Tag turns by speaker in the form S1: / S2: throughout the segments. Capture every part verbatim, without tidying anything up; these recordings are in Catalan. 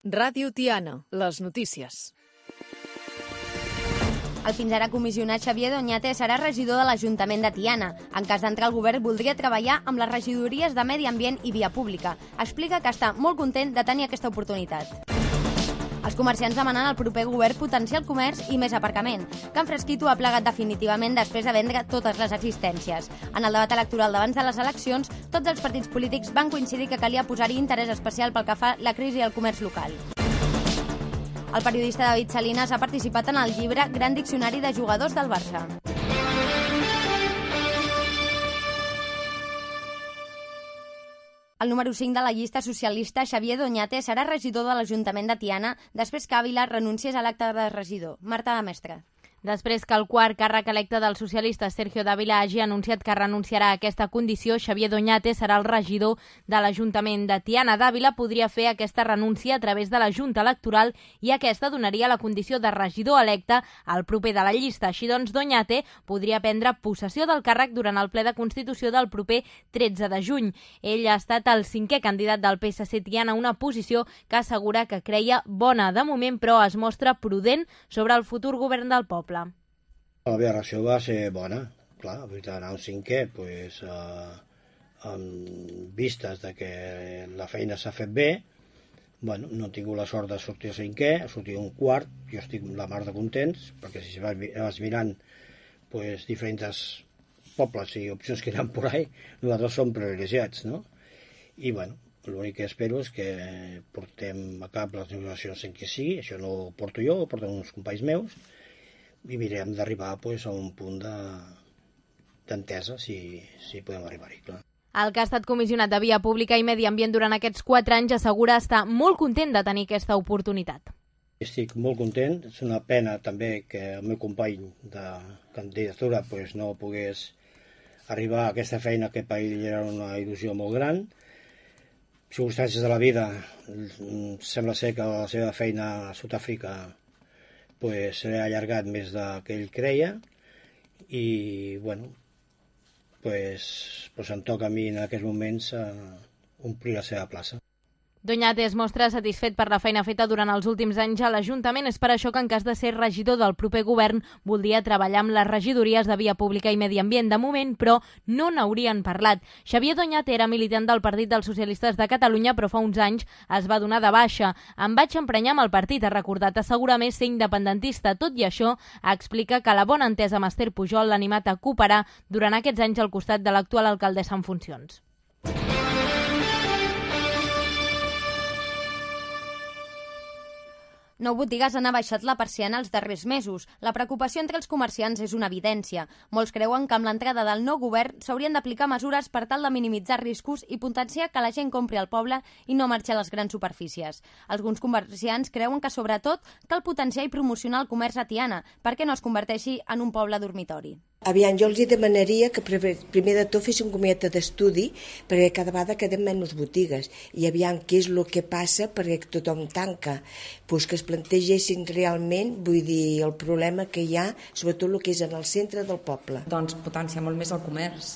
S1: Ràdio Tiana, les notícies.
S2: El fins ara comissionat Xavier Doñate serà regidor de l'Ajuntament de Tiana. En cas d'entrar al govern, voldria treballar amb les regidories de Medi Ambient i Via Pública. Explica que està molt content de tenir aquesta oportunitat. Els comerciants demanen al proper govern potenciar el comerç i més aparcament. Can Fresquito ha plegat definitivament després de vendre totes les existències. En el debat electoral d'abans de les eleccions, tots els partits polítics van coincidir que calia posar-hi interès especial pel que fa la crisi al comerç local. El periodista David Salinas ha participat en el llibre Gran Diccionari de Jugadors del Barça. El número cinc de la llista socialista, Xavier Doñate, serà regidor de l'Ajuntament de Tiana després que Ávila renunciés a l'acte de regidor. Marta de Mestre.
S3: Després que el quart càrrec electe del socialista Sergio Dávila hagi anunciat que renunciarà a aquesta condició, Xavier Doñate serà el regidor de l'Ajuntament de Tiana. Dávila podria fer aquesta renúncia a través de la Junta Electoral i aquesta donaria la condició de regidor electe al proper de la llista. Així doncs, Doñate podria prendre possessió del càrrec durant el ple de Constitució del proper tretze de juny. Ell ha estat el cinquè candidat del P S C Tiana, una posició que assegura que creia bona de moment, però es mostra prudent sobre el futur govern del poble.
S4: La meva reacció va ser bona, clar, anar un cinquè, pues, eh, amb vistes de que la feina s'ha fet bé. Bueno, no he tingut la sort de sortir a cinquè, he sortit un quart, jo estic la mar de contents, perquè si vas, vas mirant pues, diferents pobles i opcions que hi ha por ahí, nosaltres som privilegiats, no? I bueno, l'únic que espero és que portem a cap les negociacions en què sigui, això no ho porto jo, ho porten uns companys meus, i mirem d'arribar pues, a un punt d'entesa, de, si, si podem arribar-hi, clar.
S3: El que ha estat comissionat de Via Pública i Medi Ambient durant aquests quatre anys assegura estar molt content de tenir aquesta oportunitat.
S4: Estic molt content, és una pena també que el meu company de candidatura pues, no pogués arribar a aquesta feina que per ell era una il·lusió molt gran. Circumstàncies de la vida, sembla ser que la seva feina a Sud-àfrica pues, s'ha allargat més del que ell creia i, bueno, pues, pues em toca a mi en aquests moments uh, omplir la seva plaça.
S3: Doñate es mostra satisfet per la feina feta durant els últims anys a l'Ajuntament. És per això que en cas de ser regidor del proper govern voldria treballar amb les regidories de Via Pública i Medi Ambient. De moment, però, no n'haurien parlat. Xavier Doñate era militant del Partit dels Socialistes de Catalunya, però fa uns anys es va donar de baixa. Em vaig emprenyar amb el partit, ha recordat, assegura més ser independentista. Tot i això, explica que la bona entesa amb Esther Pujol l'ha animat a cooperar durant aquests anys al costat de l'actual alcaldessa en funcions.
S2: Nou botigues han abaixat la persiana els darrers mesos. La preocupació entre els comerciants és una evidència. Molts creuen que amb l'entrada del nou govern s'haurien d'aplicar mesures per tal de minimitzar riscos i potenciar que la gent compri al poble i no marxi a les grans superfícies. Alguns comerciants creuen que, sobretot, cal potenciar i promocionar el comerç a Tiana perquè no es converteixi en un poble dormitori.
S5: Aviam, jo els demanaria que primer de tot fessin un comitè d'estudi perquè cada vegada queden menys botigues i aviam què és el que passa perquè tothom tanca, pues que es plantegessin realment, vull dir, el problema que hi ha, sobretot el que és en el centre del poble.
S6: Doncs potenciar molt més el comerç,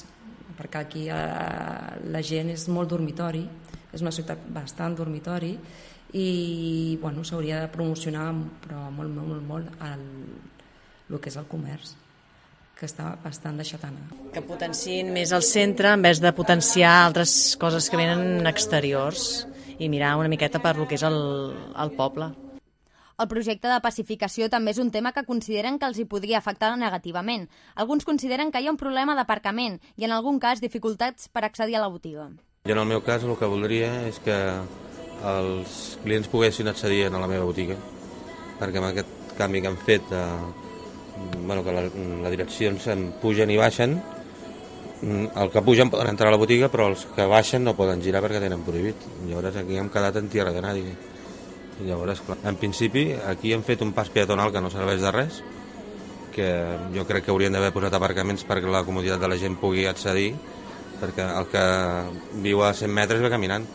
S6: perquè aquí eh, la gent és molt dormitori, és una ciutat bastant dormitori i bueno, s'hauria de promocionar però molt, molt, molt, molt el, el que és el comerç, que està bastant deixat anar.
S7: Que potenciïn més el centre en vez de potenciar altres coses que venen exteriors i mirar una miqueta per lo que és el, el poble.
S2: El projecte de pacificació també és un tema que consideren que els hi podria afectar negativament. Alguns consideren que hi ha un problema d'aparcament i en algun cas dificultats per accedir a la botiga.
S8: Jo en el meu cas el que voldria és que els clients poguessin accedir a la meva botiga, perquè amb aquest canvi que han fet eh, bueno, que les la direccions pugen i baixen, el que pugen poden entrar a la botiga però els que baixen no poden girar perquè tenen prohibit. Llavors aquí hem quedat en tierra de nadie. I llavors, clar, en principi aquí hem fet un pas peatonal que no serveix de res, que jo crec que haurien d'haver posat aparcaments perquè la comoditat de la gent pugui accedir, perquè el que viu a cent metres va caminant,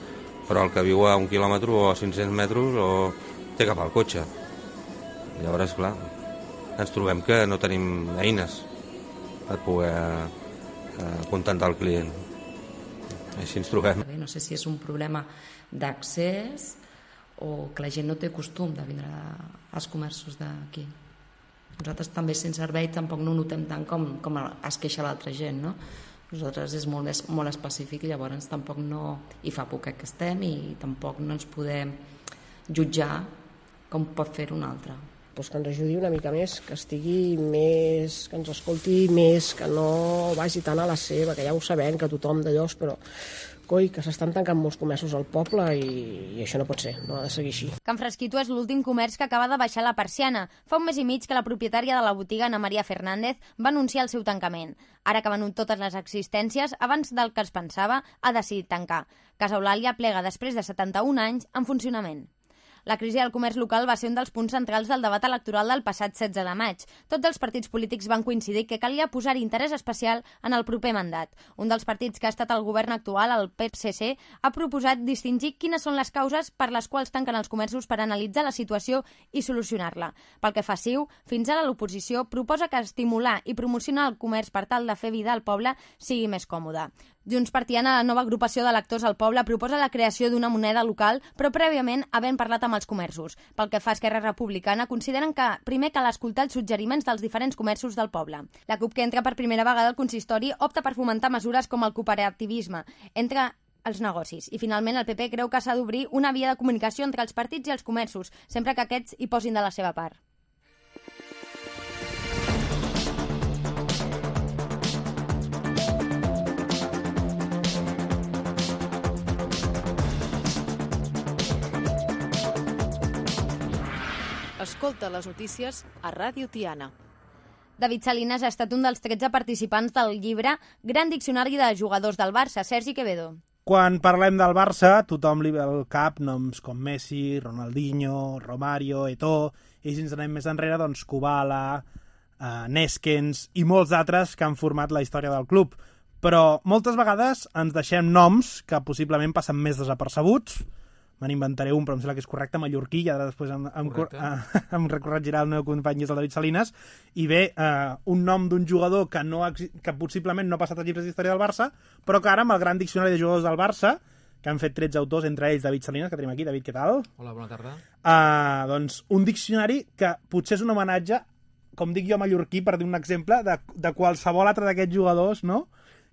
S8: però el que viu a un quilòmetre o a cinc-cents metres o té cap al cotxe. Llavors, clar, ens trobem que no tenim eines per poder eh, contentar el client. Així ens trobem.
S6: No sé si és un problema d'accés o que la gent no té costum de vindre als comerços d'aquí. Nosaltres també sense servei tampoc no ho notem tant com, com es queixa l'altra gent, no? Nosaltres és molt, més, molt específic i llavors tampoc no hi fa poc que estem i tampoc no ens podem jutjar com pot fer un altre.
S9: Pues que ens ajudi una mica més, que estigui més, que ens escolti més, que no vagi tant a la seva, que ja ho sabem, que tothom d'allò, però coi, que s'estan tancant molts comerços al poble i, i això no pot ser, no ha de seguir així.
S2: Can Fresquito és l'últim comerç que acaba de baixar la persiana. Fa un mes i mig que la propietària de la botiga, Ana Maria Fernández, va anunciar el seu tancament. Ara que venut totes les existències, abans del que es pensava, ha decidit tancar. Casa Eulàlia plega després de setanta-un anys en funcionament. La crisi del comerç local va ser un dels punts centrals del debat electoral del passat setze de maig. Tots els partits polítics van coincidir que calia posar-hi interès especial en el proper mandat. Un dels partits que ha estat al govern actual, el P S C, ha proposat distingir quines són les causes per les quals tanquen els comerços per analitzar la situació i solucionar-la. Pel que fa a Ciu, fins ara l'oposició proposa que estimular i promocionar el comerç per tal de fer vida al poble sigui més còmode. Junts per Tiana, la nova agrupació d'electors al poble, proposa la creació d'una moneda local, però prèviament havent parlat amb els comerços. Pel que fa a Esquerra Republicana, consideren que primer cal escoltar els suggeriments dels diferents comerços del poble. La CUP, que entra per primera vegada al consistori, opta per fomentar mesures com el cooperativisme entre els negocis. I finalment el P P creu que s'ha d'obrir una via de comunicació entre els partits i els comerços, sempre que aquests hi posin de la seva part.
S1: Escolta les notícies a Ràdio Tiana.
S2: David Salinas ha estat un dels tretze participants del llibre Gran Diccionari de Jugadors del Barça. Sergi Quevedo.
S10: Quan parlem del Barça, tothom li ve al cap noms com Messi, Ronaldinho, Romario, Eto'o, i si ens anem més enrere, doncs Kubala, eh, Neskens i molts altres que han format la història del club. Però moltes vegades ens deixem noms que possiblement passen més desapercebuts. Me n'inventaré un, però em sembla que és correcte, mallorquí, i ara després em, em, eh, em recorregirà el meu company, és el David Salinas, i bé, eh, un nom d'un jugador que, no, que possiblement no ha passat als llibres d'història del Barça, però que ara amb el gran diccionari de jugadors del Barça, que han fet tretze autors, entre ells David Salinas, que tenim aquí. David, què tal?
S11: Hola, bona tarda.
S10: Eh, doncs un diccionari que potser és un homenatge, com dic jo, mallorquí, per dir un exemple, de, de qualsevol altre d'aquests jugadors, no?,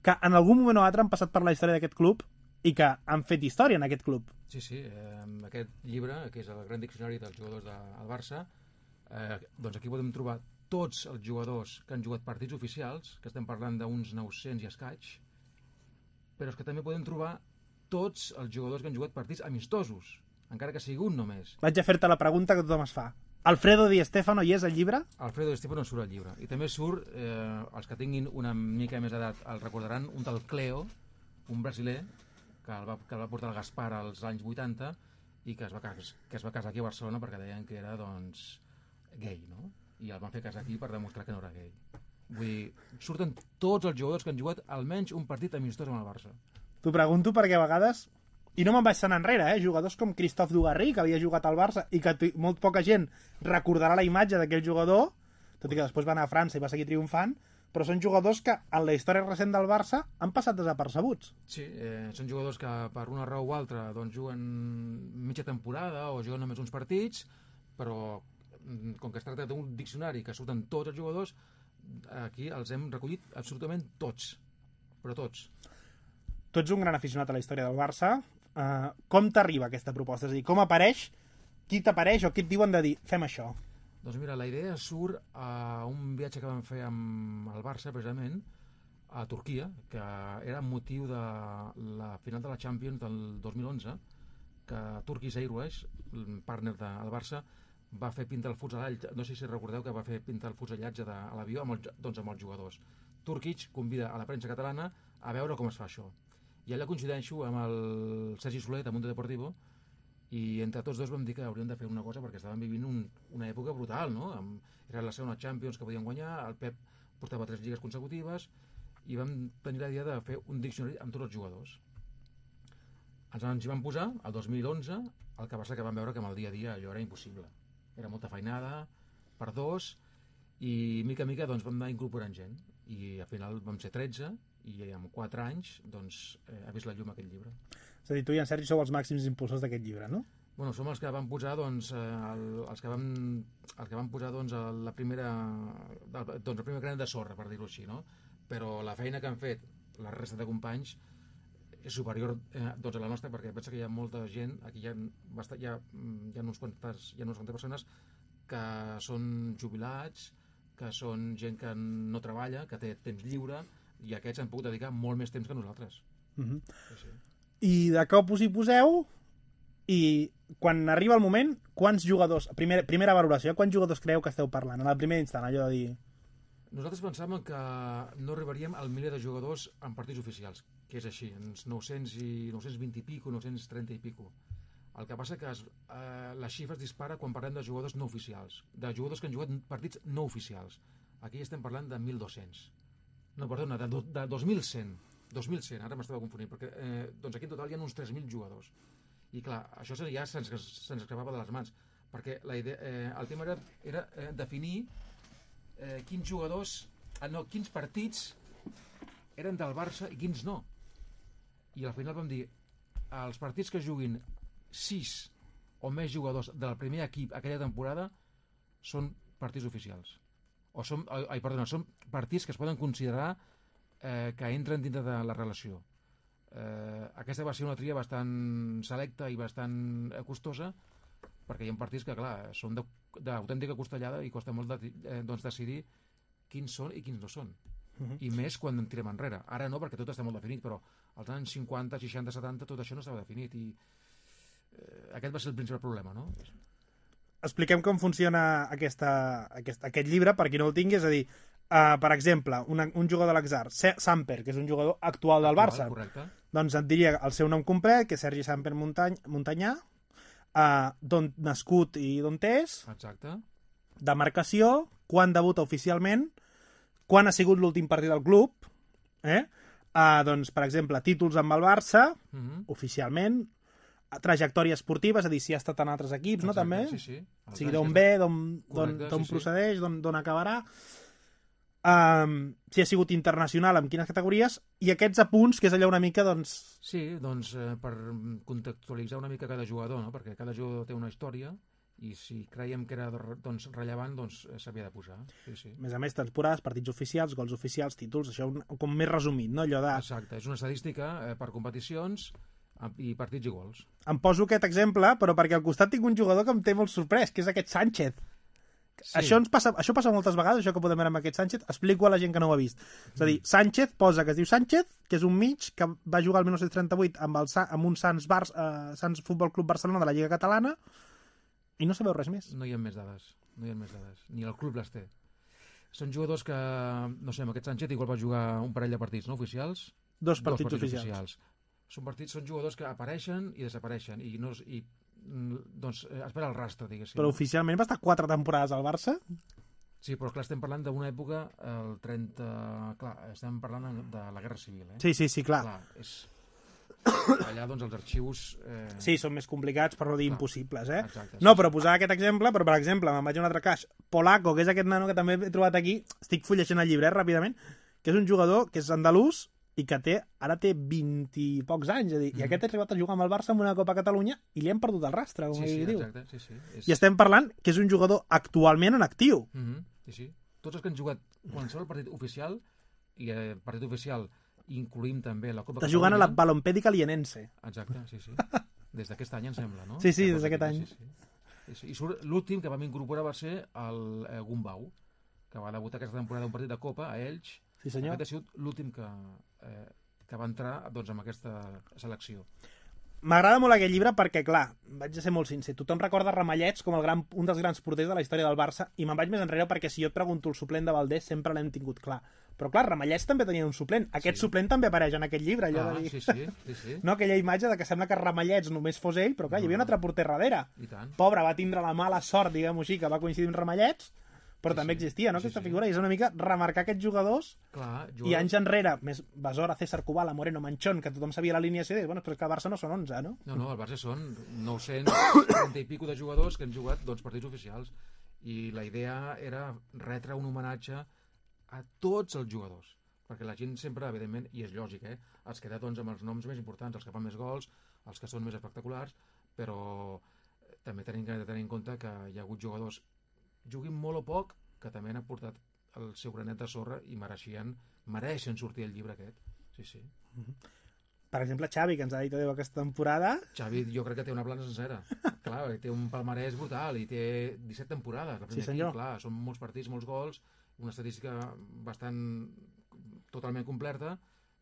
S10: que en algun moment o altre han passat per la història d'aquest club i que han fet història en aquest club.
S11: Sí, sí, eh, aquest llibre, que és el Gran Diccionari dels Jugadors del Barça, eh, doncs aquí podem trobar tots els jugadors que han jugat partits oficials, que estem parlant d'uns nou-cents i escaig, però és que també podem trobar tots els jugadors que han jugat partits amistosos, encara que sigui un només.
S10: Vaig a fer-te la pregunta que tothom es fa. Alfredo Di Stéfano hi és al llibre?
S11: Alfredo Di Stéfano surt al llibre. I també surt, eh, els que tinguin una mica més edat el recordaran, un tal Cleo, un brasiler, que el, va, que el va portar el Gaspar als anys vuitanta i que es, va, que es va casar aquí a Barcelona perquè deien que era, doncs, gay, no? I el van fer casar aquí per demostrar que no era gay. Vull dir, surten tots els jugadors que han jugat almenys un partit amistós amb el Barça.
S10: T'ho pregunto perquè a vegades, i no me'n vaig tant enrere, eh? Jugadors com Christophe Dugarry, que havia jugat al Barça i que molt poca gent recordarà la imatge d'aquell jugador, tot i que després va anar a França i va seguir triomfant, però són jugadors que en la història recent del Barça han passat desapercebuts.
S11: Sí, eh, són jugadors que per una raó o altra doncs, juguen mitja temporada o juguen només uns partits, però com que es tracta d'un diccionari que surten tots els jugadors, aquí els hem recollit absolutament tots, però tots.
S10: Tu ets un gran aficionat a la història del Barça. Uh, com t'arriba aquesta proposta? És a dir, com apareix? Qui t'apareix o qui et diuen de dir, fem això?
S11: Doncs mira, la idea surt a un viatge que vam fer amb el Barça, precisament, a Turquia, que era motiu de la final de la Champions del dos mil onze, que Turkish Airways, el partner del Barça, va fer pintar el fusellatge, no sé si recordeu que va fer pintar el fusellatge de, a l'avió amb, el, doncs amb els jugadors. Turkish convida a la premsa catalana a veure com es fa això. I allà coincideixo amb el Sergi Soler, de Mundo Deportivo, i entre tots dos vam dir que hauríem de fer una cosa perquè estàvem vivint un, una època brutal, no? Amb, era la segona Champions que podien guanyar, el Pep portava tres lligues consecutives i vam tenir la idea de fer un diccionari amb tots els jugadors. Ens, ens hi vam posar el dos mil onze, el que passa que vam veure que amb el dia a dia allò era impossible. Era molta feinada per dos i mica a mica doncs, vam anar incorporant gent i al final vam ser tretze i en quatre anys doncs, eh, ha vist la llum aquest llibre.
S10: És a dir, tu i en Sergi sou els màxims impulsors d'aquest llibre, no?
S11: Bueno, som els que van posar, doncs, el, els que van, els que van posar, doncs, la primera, doncs, el primer granet de sorra, per dir-ho així, no? Però la feina que han fet la resta de companys és superior eh, doncs, a la nostra, perquè pensa que hi ha molta gent, aquí hi ha, bastant, hi ha, hi ha uns quantes, hi ha unes quantes persones que són jubilats, que són gent que no treballa, que té temps lliure, i aquests han pogut dedicar molt més temps que nosaltres.
S10: Uh-huh.
S11: Sí, sí.
S10: I de cop us hi poseu, i quan arriba el moment, quants jugadors, primer, primera valoració, quants jugadors creu que esteu parlant? En el primer instant, allò de dir...
S11: Nosaltres pensàvem que no arribaríem al miler de jugadors en partits oficials, que és així, uns nou-cents i nou-cents vint i pico, nou-cents trenta i pico. El que passa que es, eh, la xifra es dispara quan parlem de jugadors no oficials, de jugadors que han jugat partits no oficials. Aquí estem parlant de mil dos-cents. No, perdona, de, do, de dos mil cent. dos mil cent, ara m'estava confonint, perquè eh, doncs aquí en total hi ha uns tres mil jugadors. I clar, això ja se'ns se escapava de les mans, perquè la idea, eh, el tema era, era eh, definir eh, quins jugadors, eh, no, quins partits eren del Barça i quins no. I al final vam dir, els partits que juguin sis o més jugadors del primer equip aquella temporada són partits oficials. O són, ai, perdona, són partits que es poden considerar eh, que entren dintre de la relació. Eh, aquesta va ser una tria bastant selecta i bastant costosa, perquè hi ha partits que, clar, són d'autèntica costellada i costa molt de, eh, doncs decidir quins són i quins no són. Uh-huh. I més quan en tirem enrere. Ara no, perquè tot està molt definit, però als anys cinquanta, seixanta, setanta tot això no estava definit i eh, aquest va ser el principal problema, no?
S10: Expliquem com funciona aquesta, aquest, aquest llibre, per qui no el tingui, és a dir, uh, per exemple, una, un jugador de l'Axar, Samper, que és un jugador actual del Barça,
S11: correcte.
S10: Doncs et diria el seu nom complet, que és Sergi Samper Muntany, Muntanyà, uh, d'on nascut i d'on és,
S11: exacte,
S10: demarcació, quan debuta oficialment, quan ha sigut l'últim partit del club, eh? uh, doncs, per exemple, títols amb el Barça, uh-huh. oficialment, trajectòria esportiva, és a dir, si ha estat en altres equips, exacte, no, també?
S11: Sí, sí.
S10: O sigui, d'on ve, d'on
S11: sí,
S10: procedeix, d'on sí. acabarà, um, si ha sigut internacional, amb quines categories, i aquests apunts, que és allò una mica, doncs...
S11: Sí, doncs, eh, per contextualitzar una mica cada jugador, no? Perquè cada jugador té una història, i si creiem que era doncs, rellevant, doncs s'havia de posar. Sí, sí.
S10: A més a més, temporades, partits oficials, gols oficials, títols, això un, com més resumit, no? Allò de...
S11: Exacte, és una estadística eh, per competicions i partits i gols.
S10: Em poso aquest exemple, però perquè al costat tinc un jugador que em té molt sorprès, que és aquest Sánchez. Sí. Això, ens passa, això passa moltes vegades, això que podem veure amb aquest Sánchez. Explico a la gent que no ho ha vist. És a dir, Sánchez posa que es diu Sánchez, que és un mig que va jugar el dinou trenta-vuit amb, el, amb un Sants, Bar, uh, Sants Futbol Club Barcelona de la Lliga Catalana, i no sabeu res més.
S11: No hi ha més dades, no hi ha més dades. Ni el club les té. Són jugadors que, no sé, amb aquest Sánchez igual va jugar un parell de partits no oficials.
S10: Dos partits,
S11: Dos partits
S10: oficials.
S11: oficials. Són partits, són jugadors que apareixen i desapareixen i, no, i doncs espera el rastre, diguéssim.
S10: Però oficialment va estar quatre temporades al Barça?
S11: Sí, però clar, estem parlant d'una època, el trenta... Clar, estem parlant de la Guerra Civil, eh?
S10: Sí, sí, sí, clar.
S11: clar és... Allà, doncs, els arxius... Eh...
S10: Sí, són més complicats, per no dir clar. Impossibles, eh?
S11: Exacte,
S10: no,
S11: sí,
S10: però
S11: sí.
S10: posar aquest exemple, però per exemple, me'n vaig a un altre cas, Polaco, que és aquest nano que també he trobat aquí, estic fullegant el llibre, eh, ràpidament, que és un jugador que és andalús, i que té, ara té vint i pocs anys, és a dir, mm. i aquest ha arribat a jugar amb el Barça en una Copa Catalunya i li hem perdut el rastre, com
S11: sí,
S10: ell
S11: sí,
S10: diu.
S11: Exacte, sí, sí. És...
S10: I estem parlant que és un jugador actualment en actiu.
S11: Mm -hmm. Sí, sí. Tots els que han jugat qualsevol partit oficial, i el eh, partit oficial incluïm també la Copa
S10: Està
S11: Catalunya...
S10: jugant a la Balompèdica Lienense.
S11: Exacte, sí, sí. Des d'aquest any, em sembla, no?
S10: Sí, sí, des d'aquest any.
S11: Sí, sí. Sí, sí. I l'últim que vam incorporar va ser el eh, Gumbau, que va debutar aquesta temporada un partit de Copa a Elx.
S10: Sí, senyor.
S11: Aquest ha sigut l'últim que... Eh, que va entrar doncs, amb aquesta selecció.
S10: M'agrada molt aquest llibre perquè, clar, vaig a ser molt sincer, tothom recorda Ramallets com el gran, un dels grans porters de la història del Barça i me'n vaig més enrere perquè si jo et pregunto el suplent de Valdés sempre l'hem tingut clar. Però clar, Ramallets també tenia un suplent. Aquest sí. suplent també apareix en aquest llibre. Allò
S11: ah,
S10: de dir...
S11: sí, sí, sí, sí.
S10: No, aquella imatge de que sembla que Ramallets només fos ell, però clar, no. hi havia un altre porter darrere.
S11: I tant.
S10: Pobre, va tindre la mala sort, diguem-ho així, que va coincidir amb Ramallets, però sí, també
S11: sí.
S10: existia, no,
S11: sí,
S10: aquesta
S11: sí.
S10: figura, i és una mica remarcar aquests jugadors,
S11: clar, jugadors...
S10: i anys enrere, més Besora, César Cubala, Moreno, Manchón, que tothom sabia l'alineació, i bueno, però és que el Barça no són onze, no?
S11: No, no, el Barça són nou-cents trenta i pico de jugadors que han jugat doncs, partits oficials, i la idea era retre un homenatge a tots els jugadors, perquè la gent sempre, evidentment, i és lògic, eh, es queda doncs, amb els noms més importants, els que fan més gols, els que són més espectaculars, però també tenim que tenir en compte que hi ha hagut jugadors, juguin molt o poc, que també han aportat el seu granet de sorra i mereixien, mereixen sortir el llibre aquest. Sí, sí.
S10: Per exemple, Xavi, que ens ha dit adéu aquesta temporada.
S11: Xavi jo crec que té una plana sencera. Clar, té un palmarès brutal i té disset temporades.
S10: Sí, senyor.
S11: Equip, clar, són molts partits, molts gols, una estadística bastant totalment completa,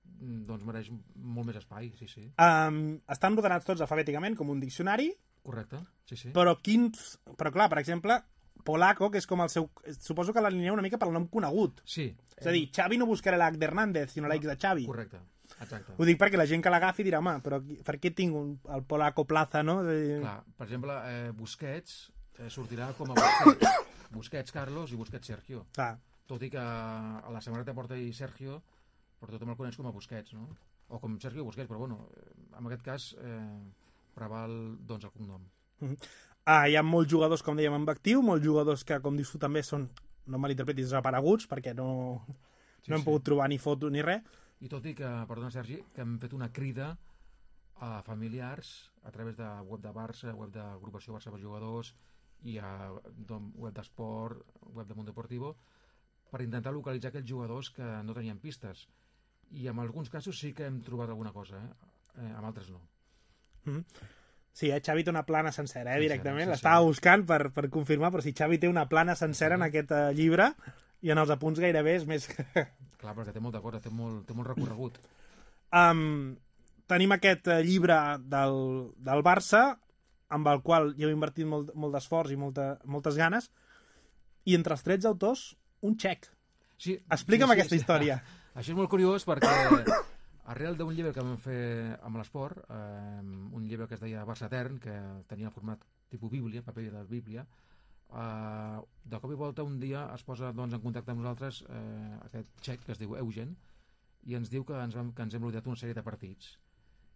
S11: doncs mereix molt més espai, sí, sí.
S10: Um, estan ordenats tots alfabèticament, com un diccionari.
S11: Correcte, sí, sí.
S10: Però quins... Però clar, per exemple, Polaco, que és com el seu... Suposo que l'alineeu una mica pel nom conegut.
S11: Sí.
S10: És a dir, Xavi no buscarà l'H d'Hernández, sinó l'H de Xavi.
S11: Correcte, exacte.
S10: Ho dic perquè la gent que l'agafi dirà, home, però per què tinc un, el Polaco Plaza, no? De...
S11: Clar, per exemple, eh, Busquets eh, sortirà com a Busquets. Busquets Carlos i Busquets Sergio.
S10: Clar.
S11: Tot i que a la samarreta porta i Sergio, però tothom el coneix com a Busquets, no? O com Sergio Busquets, però bueno, en aquest cas eh, preval doncs el cognom.
S10: Uh -huh. ah, hi ha molts jugadors, com dèiem, en actiu, molts jugadors que, com dius tu, també són, no malinterpretis, desapareguts, perquè no,
S11: sí,
S10: no hem
S11: sí.
S10: pogut trobar ni foto ni res.
S11: I tot i que, perdona Sergi, que hem fet una crida a familiars a través de web de Barça, web d'agrupació Barça per Jugadors i a web d'esport, web de Mundo Deportivo, per intentar localitzar aquells jugadors que no tenien pistes. I en alguns casos sí que hem trobat alguna cosa, eh? Eh, amb altres no.
S10: Mm -hmm. Sí, eh? Xavi té una plana sencera, eh, directament.
S11: Sí,
S10: L'estava
S11: sí.
S10: buscant per, per confirmar, però si Xavi té una plana sencera sí. en aquest uh, llibre, i en els apunts gairebé és més...
S11: Clar, perquè té molta cosa, té molt, té molt recorregut.
S10: Um, tenim aquest uh, llibre del, del Barça, amb el qual hi heu invertit molt, molt d'esforç i molta, moltes ganes, i entre els trets autors, un xec.
S11: Sí,
S10: Explica'm
S11: sí, sí,
S10: aquesta
S11: sí.
S10: història.
S11: Això és molt curiós perquè arrel d'un llibre que vam fer amb l'esport, eh, un llibre que es deia Barça Etern, que tenia format tipus Bíblia, paper de Bíblia, eh, de cop i volta un dia es posa doncs, en contacte amb nosaltres eh, aquest xec que es diu Eugen i ens diu que ens, vam, que ens hem rodeat una sèrie de partits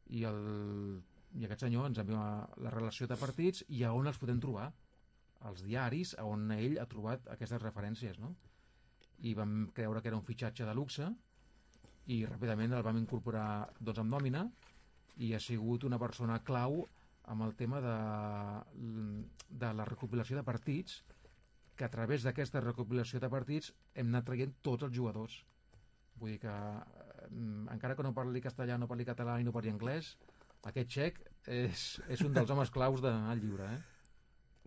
S11: i, el, i aquest senyor ens envia la relació de partits i a on els podem trobar, als diaris on ell ha trobat aquestes referències, no? I vam creure que era un fitxatge de luxe i ràpidament el vam incorporar doncs, amb nòmina i ha sigut una persona clau amb el tema de, de la recopilació de partits, que a través d'aquesta recopilació de partits hem anat traient tots els jugadors. Vull dir que eh, encara que no parli castellà, no parli català i no parli anglès, aquest xec és, és un dels homes claus del llibre. Eh?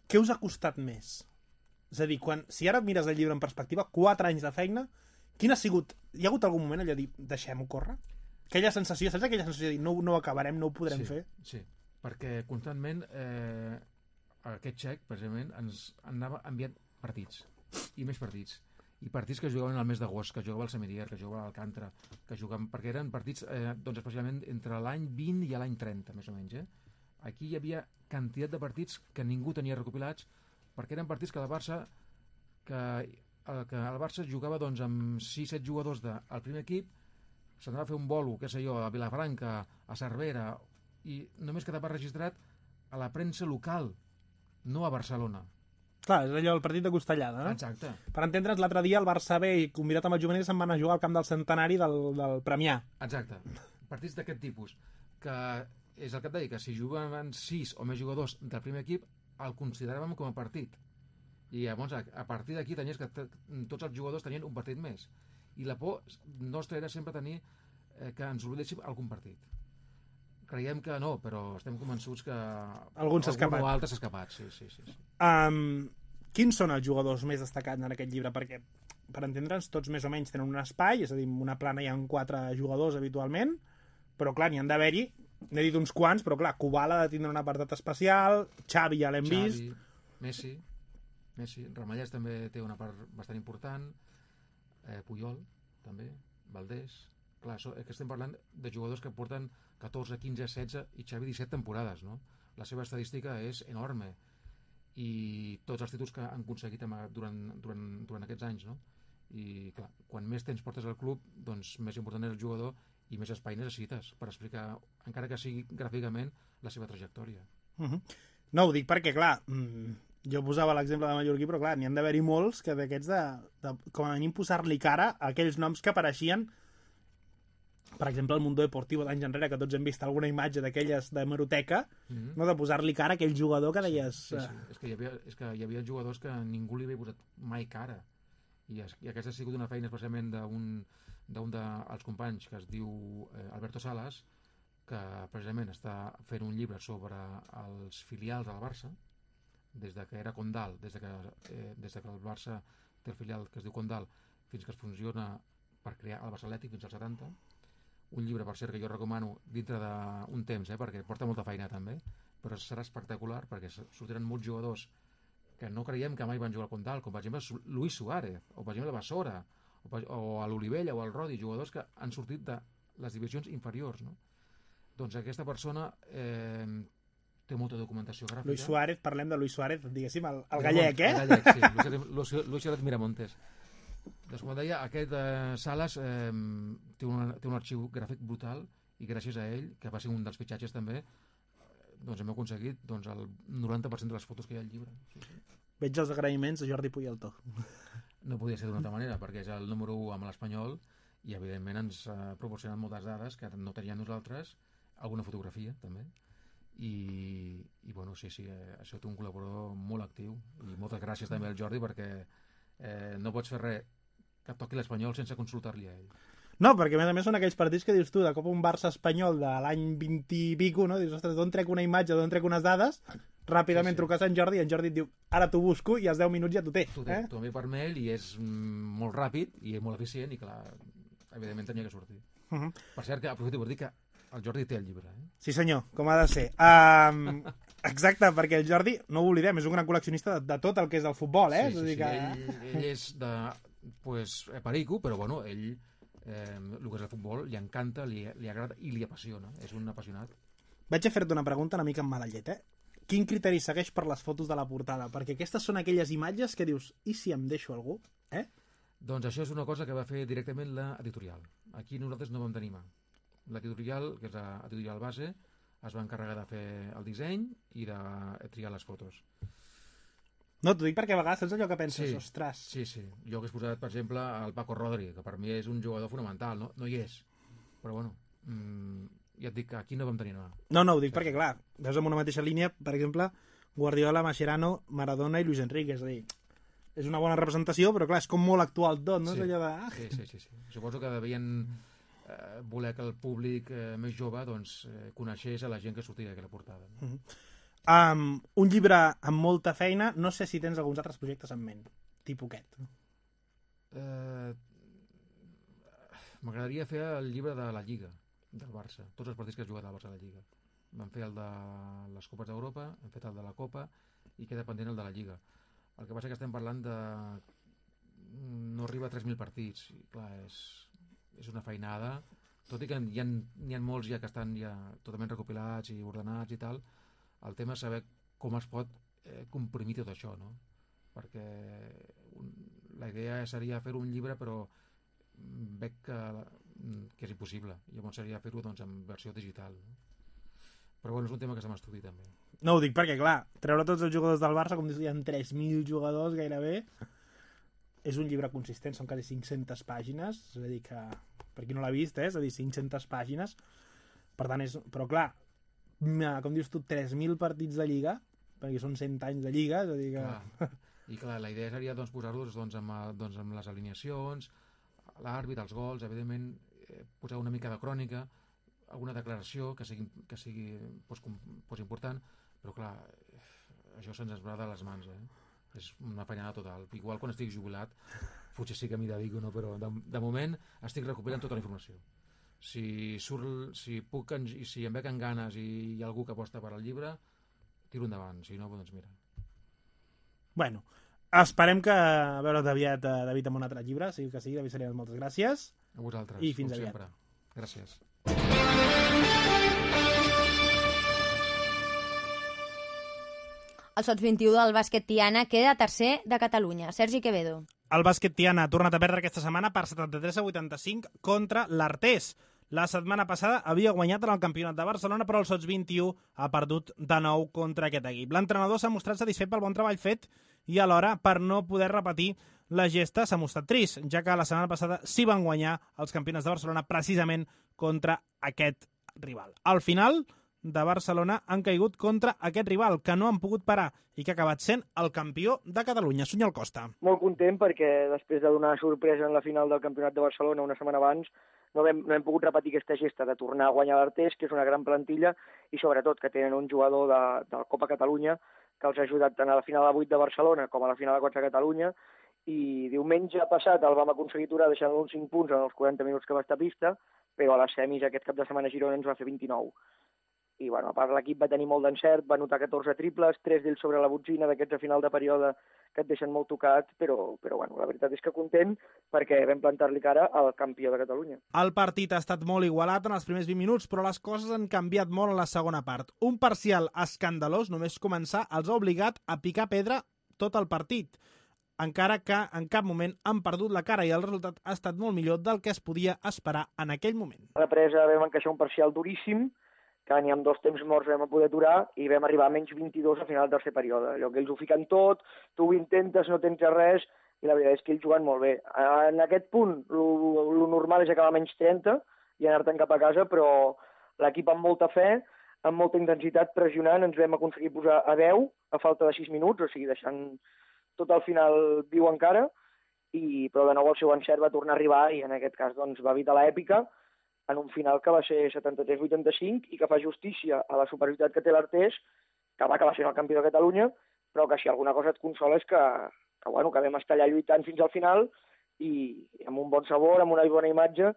S10: Què us ha costat més? És a dir, quan, si ara et mires el llibre en perspectiva, quatre anys de feina, quin ha sigut... Hi ha hagut algun moment allò de dir, deixem-ho córrer? Aquella sensació, saps aquella sensació de dir, no, no ho acabarem, no ho podrem
S11: sí,
S10: fer?
S11: Sí, perquè constantment eh, aquest xec, precisament, ens anava enviant partits, i més partits. I partits que jugaven al mes d'agost, que jugava al Semirier, que jugava a l'Alcàntara, que jugaven... perquè eren partits, eh, doncs especialment entre l'any vint i l'any trenta, més o menys, eh? Aquí hi havia quantitat de partits que ningú tenia recopilats, perquè eren partits que el Barça que, que el Barça jugava doncs, amb sis set jugadors del primer equip, s'anava a fer un bolo, què sé jo, a Vilafranca, a Cervera, i només quedava registrat a la premsa local, no a Barcelona.
S10: Clar, és allò el partit de Costellada, no?
S11: Exacte.
S10: Per entendre'ns, l'altre dia el Barça B i convidat amb el juvenil se'n van a jugar al camp del centenari del, del Premià.
S11: Exacte. Partits d'aquest tipus, que és el que et deia, que si jugaven sis o més jugadors del primer equip, el consideràvem com a partit. I llavors, a, a partir d'aquí, tenies que tots els jugadors tenien un partit més. I la por nostra era sempre tenir eh, que ens oblidéssim algun partit. Creiem que no, però estem convençuts que
S10: algun s'ha escapat.
S11: Algun o altre s'ha escapat, sí, sí, sí. sí.
S10: Um, quins són els jugadors més destacats en aquest llibre? Perquè, per entendre'ns, tots més o menys tenen un espai, és a dir, en una plana hi ha quatre jugadors habitualment, però clar, n'hi han d'haver-hi, n'he dit uns quants, però clar, Kubala ha de tindre un apartat especial, Xavi ja l'hem vist.
S11: Messi, Messi, Ramallès també té una part bastant important, eh, Puyol també, Valdés... Clar, so, és que estem parlant de jugadors que porten catorze, quinze, setze i Xavi disset temporades, no? La seva estadística és enorme i tots els títols que han aconseguit durant, durant, durant aquests anys, no? I clar, quan més temps portes al club, doncs més important és el jugador i més espai necessites per explicar, encara que sigui gràficament, la seva trajectòria.
S10: Uh -huh. No, ho dic perquè, clar, mmm, jo posava l'exemple de Mallorquí, però clar, n'hi han d'haver-hi molts que d'aquests de, de, com a mínim posar-li cara a aquells noms que apareixien per exemple, el Mundo Deportivo d'anys enrere, que tots hem vist alguna imatge d'aquelles de meroteca, mm-hmm. no, de posar-li cara a aquell jugador que deies...
S11: Sí, sí, sí. És, que hi havia, és que hi havia jugadors que ningú li havia posat mai cara. I, es, i aquesta ha sigut una feina especialment d'un d'un dels companys que es diu eh, Alberto Salas, que precisament està fent un llibre sobre els filials del Barça, des de que era Condal, des de que, eh, des de que el Barça té el filial que es diu Condal, fins que es funciona per crear el Barça Atlètic fins als setanta. Un llibre, per cert, que jo recomano dintre d'un temps, eh, perquè porta molta feina també, però serà espectacular perquè sortiran molts jugadors que no creiem que mai van jugar al Condal, com per exemple Luis Suárez, o per exemple Basora, o, o a l'Olivella o al Rodi, jugadors que han sortit de les divisions inferiors, no? Doncs aquesta persona eh, té molta documentació gràfica.
S10: Luis Suárez, parlem de Luis Suárez, diguéssim, el, el gallec, eh?
S11: El gallec, sí, Luis, Luis Suárez Miramontes. Doncs com deia, aquest eh, Salas eh, té, un, té un arxiu gràfic brutal i gràcies a ell, que va ser un dels fitxatges també, doncs hem aconseguit doncs, el noranta per cent de les fotos que hi ha al llibre. Sí, sí.
S10: Veig els agraïments a Jordi Puyaltó.
S11: No podia ser d'una altra manera, perquè és el número u amb l'Espanyol i evidentment ens ha proporcionat moltes dades que no teníem nosaltres, alguna fotografia també, i, i bueno, sí, sí, eh, ha sigut un col·laborador molt actiu i moltes gràcies també al Jordi perquè eh, no pots fer res que toqui l'Espanyol sense consultar-li a ell.
S10: No, perquè a més a més són aquells partits que dius tu, de cop un Barça espanyol de l'any vint i pico, no? Dius, ostres, d'on trec una imatge, d'on trec unes dades, ràpidament sí, sí. truques a en Jordi i en Jordi et diu, ara t'ho busco i als deu minuts ja t'ho té.
S11: T'ho té, eh? T'ho envia per mail i és mm, molt ràpid i és molt eficient i clar, evidentment tenia que sortir. Uh -huh. Per cert, que aprofito per dir que el Jordi té el llibre. Eh?
S10: Sí senyor, com ha de ser. Um, exacte, perquè el Jordi, no ho oblidem, és un gran col·leccionista de, de tot el que és el futbol, eh?
S11: Sí, sí,
S10: és a dir que...
S11: sí. Ell, ell és de, pues, perico, però bueno, ell... Eh, el que és el futbol li encanta, li, li agrada i li apassiona, és un apassionat.
S10: Vaig a fer-te una pregunta una mica amb mala llet, eh? Quin criteri segueix per les fotos de la portada? Perquè aquestes són aquelles imatges que dius, i si em deixo algú? Eh?
S11: Doncs això és una cosa que va fer directament l'editorial. Aquí nosaltres no vam tenir mà. L'editorial, que és l'editorial base, es va encarregar de fer el disseny i de triar les fotos.
S10: No, t'ho dic perquè a vegades saps allò que penses,
S11: sí,
S10: ostres...
S11: Sí, sí. Jo hagués posat, per exemple, el Paco Rodri, que per mi és un jugador fonamental, no, no hi és. Però bueno, mmm, ja et dic que aquí no vam tenir nada.
S10: No, no, ho dic sí. perquè, clar, veus en una mateixa línia, per exemple, Guardiola, Mascherano, Maradona i Luis Enrique, és a dir, és una bona representació, però clar, és com molt actual tot, no?
S11: Sí,
S10: és allò de...
S11: sí, sí, sí, sí. Suposo que devien eh, voler que el públic eh, més jove doncs, eh, coneixés a la gent que sortia d'aquella portada. No?
S10: Uh -huh. Um, un llibre amb molta feina, no sé si tens alguns altres projectes en ment, tipus aquest.
S11: Eh, M'agradaria fer el llibre de la Lliga del Barça, tots els partits que has jugat al Barça a la Lliga. Vam fer el de les Copes d'Europa, hem fet el de la Copa i queda pendent el de la Lliga. El que passa que estem parlant de... no arriba a tres mil partits i clar, és, és una feinada, tot i que hi ha, hi ha molts ja que estan ja totalment recopilats i ordenats i tal. El tema és saber com es pot eh, comprimir tot això, no? Perquè un, la idea seria fer un llibre, però veig que, que és impossible. Llavors seria fer-ho doncs, en versió digital. No? Però bueno, és un tema que s'ha d'estudi també.
S10: No ho dic perquè, clar, treure tots els jugadors del Barça, com dius, hi ha tres mil jugadors gairebé, és un llibre consistent, són quasi cinc-centes pàgines, és a dir que, per qui no l'ha vist, eh? És a dir, cinc-centes pàgines, per tant, és... però clar, com dius tu, tres mil partits de Lliga, perquè són cent anys de Lliga, és a dir que...
S11: Clar. I clar, la idea seria doncs, posar-los doncs, amb, doncs, amb les alineacions, l'àrbit, els gols, evidentment, eh, posar una mica de crònica, alguna declaració que sigui, que sigui pues, pues, important, però clar, això se'ns va de les mans, eh? És una feinada total. Igual quan estic jubilat, potser sí que m'hi dedico, no? Però de, de moment estic recopilant tota la informació. Si, surt, si puc i si em veig en ganes i hi ha algú que aposta per al llibre, tiro endavant, si no, doncs mira.
S10: Bueno, esperem que a veure aviat David amb un altre llibre, sigui que sigui, David Salinas, moltes gràcies.
S11: A vosaltres,
S10: i fins aviat.
S11: Sempre. Gràcies.
S2: El Sots vint-i-u del bàsquet Tiana queda tercer de Catalunya. Sergi Quevedo.
S10: El bàsquet Tiana ha tornat a perdre aquesta setmana per setanta-tres a vuitanta-cinc contra l'Artés. La setmana passada havia guanyat en el campionat de Barcelona, però el Sots vint-i-u ha perdut de nou contra aquest equip. L'entrenador s'ha mostrat satisfet pel bon treball fet i alhora per no poder repetir La gesta s'ha mostrat trist, ja que la setmana passada sí van guanyar els campionats de Barcelona precisament contra aquest rival. Al final de Barcelona han caigut contra aquest rival, que no han pogut parar i que ha acabat sent el campió de Catalunya. Sunyol Costa.
S12: Molt content perquè després de donar sorpresa en la final del Campionat de Barcelona una setmana abans no hem, no hem pogut repetir aquesta gesta de tornar a guanyar l'Artés, que és una gran plantilla, i sobretot que tenen un jugador de, de la Copa Catalunya que els ha ajudat tant a la final de vuit de Barcelona com a la final de quatre de Catalunya, i diumenge passat el vam aconseguir aturar deixant-lo uns cinc punts en els quaranta minuts que va estar a pista, però a les semis aquest cap de setmana a Girona ens va fer vint-i-nou. I, bueno, a part l'equip va tenir molt d'encert, va anotar catorze triples, tres d'ells sobre la botzina d'aquests a final de període que et deixen molt tocat, però, però bueno, la veritat és que content perquè vam plantar-li cara al campió de Catalunya.
S10: El partit ha estat molt igualat en els primers vint minuts, però les coses han canviat molt en la segona part. Un parcial escandalós, només començar, els ha obligat a picar pedra tot el partit, encara que en cap moment han perdut la cara i el resultat ha estat molt millor del que es podia esperar en aquell moment.
S12: A la presa vam encaixar un parcial duríssim, que ni amb dos temps morts vam poder aturar i vam arribar a menys vint-i-dos al final del tercer període. Allò que ells ho fiquen tot, tu ho intentes, no tens res, i la veritat és que ells juguen molt bé. En aquest punt, el normal és acabar a menys trenta i anar-te'n cap a casa, però l'equip amb molta fe, amb molta intensitat, pressionant, ens vam aconseguir posar a deu a falta de sis minuts, o sigui, deixant tot al final viu encara, i, però de nou el seu encert va tornar a arribar i en aquest cas doncs, va evitar l'èpica, en un final que va ser setanta-tres a vuitanta-cinc i que fa justícia a la superioritat que té l'Artés, que va acabar sent el campió de Catalunya, però que si alguna cosa et consola és que, que, bueno, que vam estar allà lluitant fins al final i amb un bon sabor, amb una bona imatge,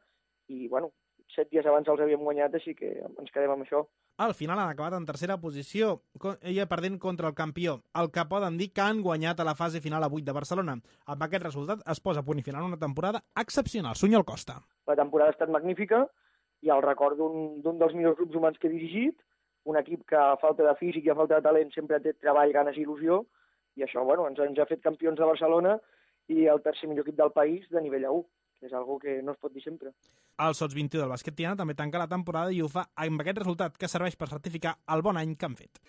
S12: i bueno, set dies abans els havíem guanyat, així que ens quedem amb això.
S10: Al final han acabat en tercera posició, ella perdent contra el campió, el que poden dir que han guanyat a la fase final a vuit de Barcelona. Amb aquest resultat es posa a punt i final una temporada excepcional. Sunyol Costa.
S12: La temporada ha estat magnífica i el record d'un dels millors grups humans que he dirigit, un equip que a falta de físic i a falta de talent sempre té treball, ganes i il·lusió, i això bueno, ens, ens ha fet campions de Barcelona i el tercer millor equip del país de nivell A u, que és algo que no es pot dir sempre.
S10: El Sots vint-i-u del bàsquet Tiana també tanca la temporada i ho fa amb aquest resultat que serveix per certificar el bon any que han fet.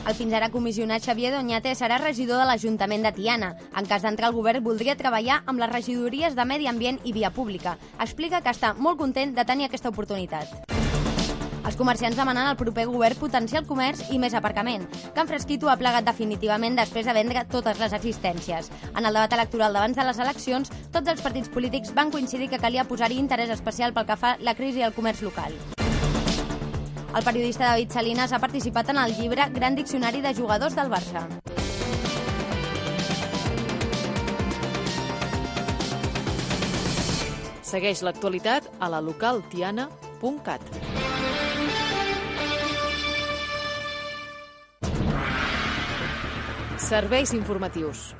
S2: El fins ara comissionat Xavier Doñate serà regidor de l'Ajuntament de Tiana. En cas d'entrar al govern, voldria treballar amb les regidories de Medi Ambient i Via Pública. Explica que està molt content de tenir aquesta oportunitat. Els comerciants demanen al proper govern potenciar el comerç i més aparcament. Can Fresquito ha plegat definitivament després de vendre totes les existències. En el debat electoral d'abans de les eleccions, tots els partits polítics van coincidir que calia posar-hi interès especial pel que fa la crisi al comerç local. El periodista David Salinas ha participat en el llibre Gran Diccionari de Jugadors del Barça.
S1: Segueix l'actualitat a la local tiana punt cat. Serveis informatius.